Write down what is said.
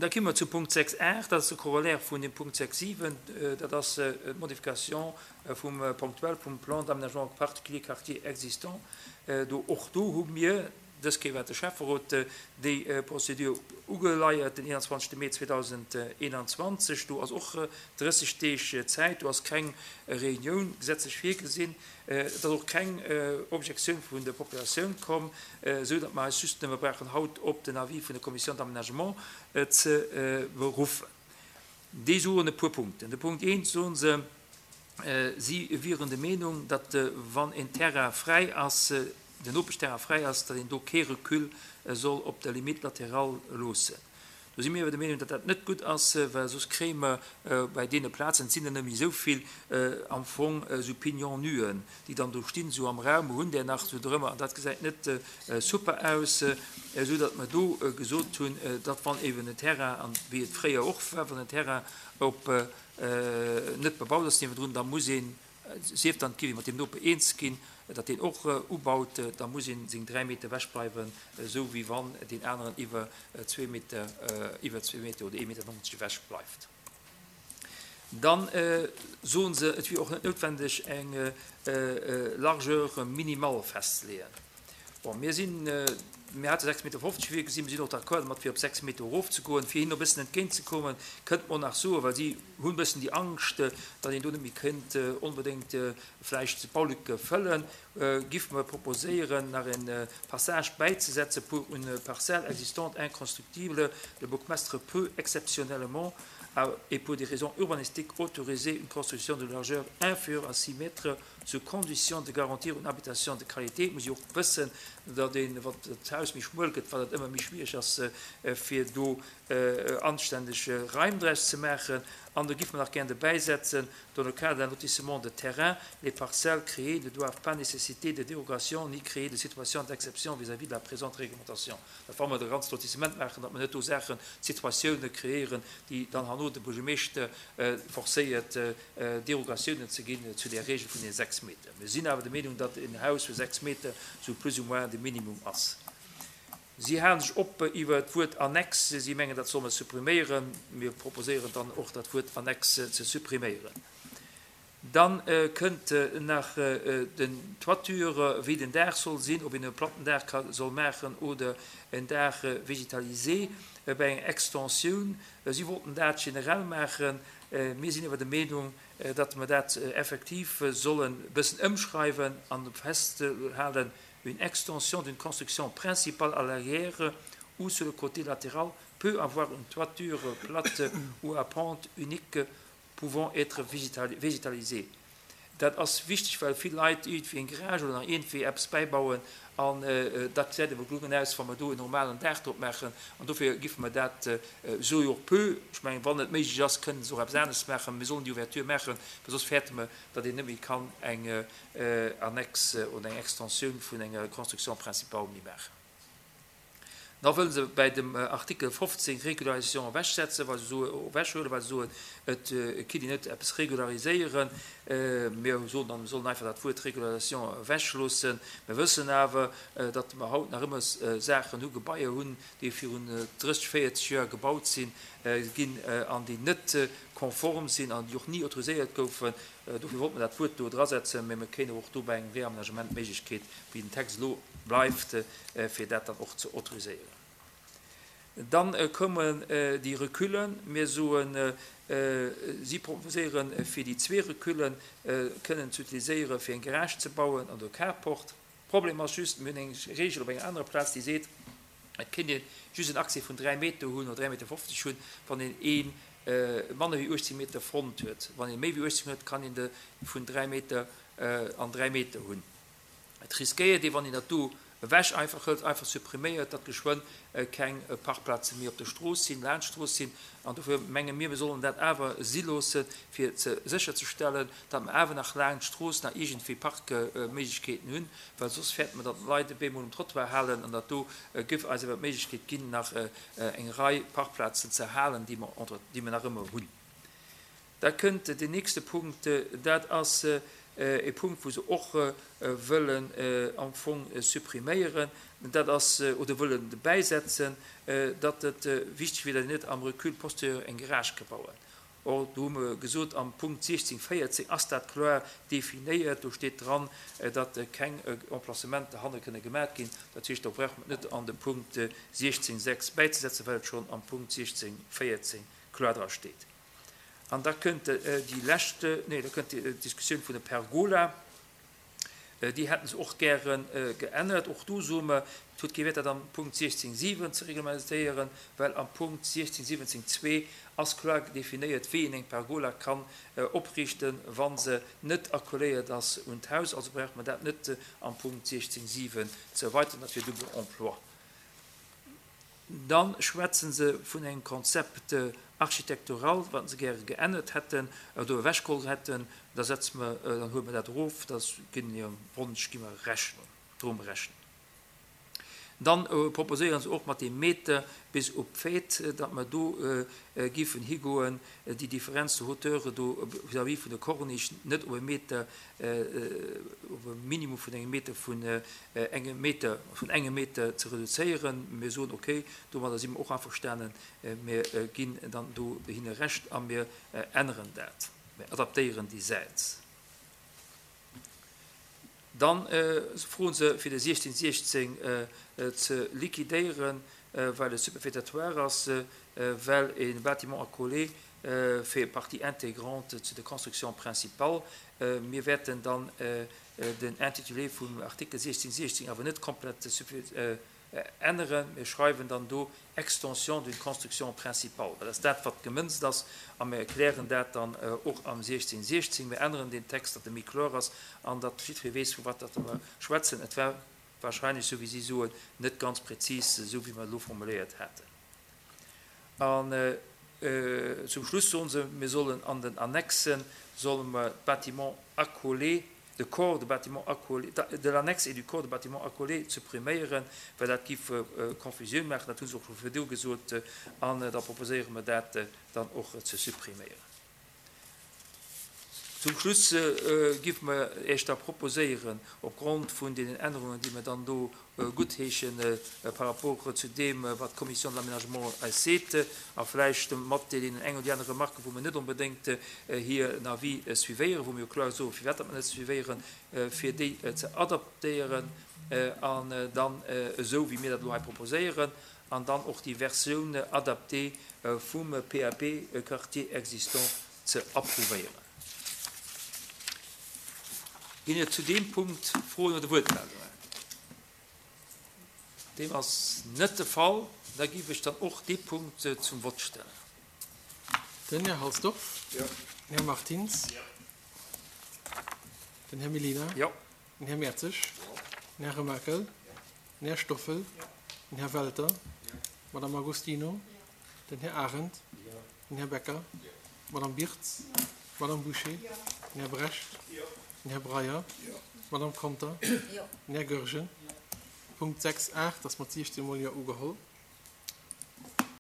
Da komme mer zu Punkt 6, 8, dat ass de Corollaire vun dem Punkt 6, 7, dat ass d'Modification vum ponctuel vum Plan d'aménagement particulier quartier existant. Do, och do hu mir, dës Kéier war et de Schäfferot, déi Procédure ugeleiert den 21. Mee 2021. Do ass och 30 Deeg Zäit, do ass keng Reunioun gesetzlech virgesinn. Et ass och keng Objektioun vun der Populatioun komm, esou datt mer eis just nëmme brauchen haut op den Avis vun der Commission d'aménagement ze beruffen. Déi soen e puer Punkten. De Punkt eent soe se, si wieren der Meenung, datt wann en Terrain fräi ass, den Nopeschterrain fräi ass, datt een do kee Recul soll op der Limite latérale loossen. Do si mir awer der Meenung, datt dat net gutt ass, well soss kréie mer bei deene Plazen, et sinn der net méi esou vill, am Fong esou Pignon-nuen, déi dann do stinn, esou am Raum, mer hunn där nach esou drëmmer, an dat gesäit net super aus, esou datt mer do gesot hunn, datt wann eeben en Terrain, an wéi et fréier och war, wann en Terrain op net bebaut ass niewendrun, da muss een, sief dann et géif ee mat deem Noper eens ginn, datt deen och ubaut, da muss ee seng 3 Meter ewech bleiwen, esou wéi wann deen aneren iwwer zwee Meter, iwwer zwee Meter oder ee Meter 90 ewech bleift. Da soe se, et wier och net noutwendeg eng Largeur minimale festzeleeën. Bon, mir sinn, mir hate 6,50 Meter virgesinn, mir sinn och d'accord domat, fir op 6 Meter erofzegoen. Fir hinnen e bëssen entgéintzekommen, kënnt mer och nach soen, well si hunn e bëssen déi Angscht, datt een do net méi kéint onbedéngt vläicht d'Baulücke fëllen, giff mer proposéieren, nach e Passage bäizesetzen, Pour une parcelle existante inconstructible, le bourgmestre peut exceptionnellement et pour des raisons urbanistiques autoriser une construction de largeur inférieure à 6 mètres sous condition de garantir une habitation de qualité. Et muss ee och wëssen, datt een, wann d'Haus méi schmuel gëtt, wat et ëmmer méi schwiereg ass, fir do anständeg Raim draus ze maachen. An do giff mer nach gären dobäisetzen, Dans le cadre d'un lotissement de terrain, les parcelles créées ne doivent pas nécessiter de dérogations ni créer de situations d'exception vis-à-vis de la présente réglementation. Dat wa mer de ganze Lotissement maachen, datt mer net do Saachen, Situatiounen kreéieren, déi dann herno de Buergermeeschter forcéiert, Derogatiounen ze ginn zu där Regel vun den 6 Meter. Mir sinn awer der Meenung, datt en Haus vu 6 Meter sou plus ou moins de Minimum ass. Si halen sech op iwwer d'Wuert Annexe. Si mengen, dat solle mer suppriméieren. Mir proposéieren dann och, dat Wuert Annexe ze suppriméieren. Da kënnt nach den Toiture, wéi den Daach soll sinn, ob een e platten Daach ka soll maachen oder en Daach végétalisé bei enger Extensioun. Si wollten dat generell maachen. Mir sinn awer der Meenung, datt mer dat effektiv sollen e bëssen ëmschreiwen an festhalen, Une extension d'une construction principale à l'arrière ou sur le côté latéral peut avoir une toiture plate ou à pente unique pouvant être végétalisée. Dat ass wichteg, well vill Leit iergendwéi eng Garage oder nach iergendwéi eppes bäibauen an dat gesäit awer gelungen aus, wa mer do en normalen Daach drop maachen. An dofir giffe mer dat, soe jo och peu, ech mengen, wann et méiglech ass, kënnen se och eppes anescht maachen, mir sollen déi Ouverture maachen, well soss fäerte mer, datt een net méi kann eng Annexe oder eng Extensioun vun enger Construction principale méi maachen. Da wëlle se bäi dem Artikel 15 Régularisation ewechsetzen, well se soen, ewechhuelen, well se soen, et kinnt een net eppes regulariséieren. Mir soen dann, mir sollen einfach dat Wuert Régularisation ewechloossen. Mir wëssen awer, datt mer haut nach ëmmer Saachen hu, Gebaier hunn, déi virun 30, 40 Joer gebaut sinn ginn an déi net konform sinn an déi och ni autoriséiert goufen. Dofir wollte mer dat Wuert do drasetzen, mä mir kréien och do bei engem Réaménagement d'Méiglechkeet, wéi den Text elo bleift, fir dat dann och ze autoriséieren. Dann kommen déi Recullen. Mir soen, si proposéieren, fir déi zwee Recullen kënnen ze utiliséieren, fir eng Garage ze bauen an de Carport. Problem ass just, mir hunn eng Regel op enger anerer Plaz, déi seet, et kéint ee just en Accès vun 3 Meter hunn oder 3,50 Meter hunn, wann een ee manner wéi 18 Meter Front huet. Wann ee méi wéi 18 huet, kann een de vun 3 Meter an 3 Meter hunn. Et riskéiert ee, wann een dat do ewech einfach hëlt, einfach suppriméiert, datt geschwënn keng Parkplaze méi op der Strooss sinn, laanscht d'Strooss sinn. An dofir menge mir, mir sollen dat awer si loossen, fir ze sécherzestellen, datt mer awer nach laanscht d'Strooss nach iergendwéi Parkméiglechkeeten hunn, well soss fäerte mer, datt d'Leit op eemol um Trottoir halen. An dat do géif eis awer d'Méiglechkeet ginn, nach eng Rei Parkplazen ze halen, déi mer, déi mer nach ëmmer hunn. Da kënnt den nächste Punkt, dat ass. E Punkt, wou se och wëllen am Fong suppriméieren, dat ass, oder wëllen dobäisetzen, datt et wichteg wier, datt een net am Recul postérieur eng Garage ka bauen. Or, do hu mer gesot, am Punkt 16, 14 ass dat kloer definéiert. Do steet dran, datt keng Emplacementer hanne kënne gemaat ginn. Dat heescht, do brauche mer et net an de Punkt 16, 6 bäizesetzen, well et schonn am Punkt 16, 14 kloer dra steet. An da kënnt déi lescht, nee, da kënnt d'Diskussioun vun der Pergola. Déi hätte se och gäre geännert. Och do soe mer, et huet kee Wäert, dat am Punkt 16.7 ze reglementéieren, well am Punkt 16.17.2 ass kloer definéiert, wéi een eng Pergola kann opriichten, wa se net accoléiert ass un d'Haus. Also brauche mer dat net am Punkt 16.7 ze erweiteren. Dat wier double emploi. Da schwätze se vun engem Concept architectural, wat se gäre geännert hätten oder ewechgeholl hätten. Da setze mer, dann huele mer dat erof, da ginn hirem Wonsch gi mer Rechnung, droe mer Rechnung. Dann proposéiere se och mat deem Meter bis op d'Fête, datt mer do giffen higoen, déi Differenz de hauteur do vis-à-vis vun der Corniche net op e Meter, op e Minimum vun engem Meter vun engem Meter, vun engem Meter ze reduzéieren. Mir soen, okay, domadder si mer och averstanen, mir ginn dann do hinne Recht a mir änneren dat, mir adaptéieren déi Säit. Dann froe se, fir de 1616 ze liquidéieren, well e superfétatoire ass, well e Bâtiment accolé fait partie intégrante zu der Construction principale. Mir wäerten dann den Intitulé vum Artikel 1616 awer net komplett änneren. Mir schreiwen dann do Extension d'une construction principale, well dat ass dat, wat gemënzt ass, a mir erklären dat dann och am 1616. Mir änneren deen Text, datt e méi kloer ass an datt jiddweree weess, vu wat datt mer schwätzen. Et war wahrscheinlech, esou wéi si soen, net ganz prezis, esou wéi mer et elo formuléiert haten. An zum Schluss soen se, mir sollen an den Annexen, solle mer d'Bâtiments accolés, de corps de bâtiments accolés, de l'annexe et du corps de bâtiments accolés suppriméieren, well dat giff Confusioun maachen. Dat hu se och scho virdu gesot an da proposéiere mer dat dann och ze suppriméieren. Zum Schluss géife mer Iech da proposéieren, opgrond vun deenen Ännerungen, déi mer dann do guttheeschen par rapport zu deem, wat d'Commission de l'aménagement eis seet, a vläicht mat deenen eng oder déi aner Remarque, wou mer net onbedéngt hiren Avis suivéieren, wou mer jo kloer soen, firwat datt mer net suivéieren, fir déi ze adaptéieren an dann esou, wéi mir dat elo hei proposéieren, an dann och déi Versioun adaptée vum PAP Quartier existant ze approuvéieren. Ginn et zu deem Punkt Froen oder Wuertmeldungen? Deem ass net de Fall. Da géif ech dann och dee Punkt zum Vott stellen. Den Här Halsdorf. Jo. Den Här Martins. Jo. Den Här Mellina. Jo. Den Här Mertzig. Jo. Den Här Remakel. Jo. Den Här Stoffel. Den Här Welter. D'Madame Agostino. Den Här Arendt. Den Här Becker. D'Madame Birtz. D'Madame Bouché. Den Här Brecht. Den Här Breyer. D'Madame Conter. Den Här Goergen. Punkt 6, 8 ass mat 16 mol Jo ugeholl.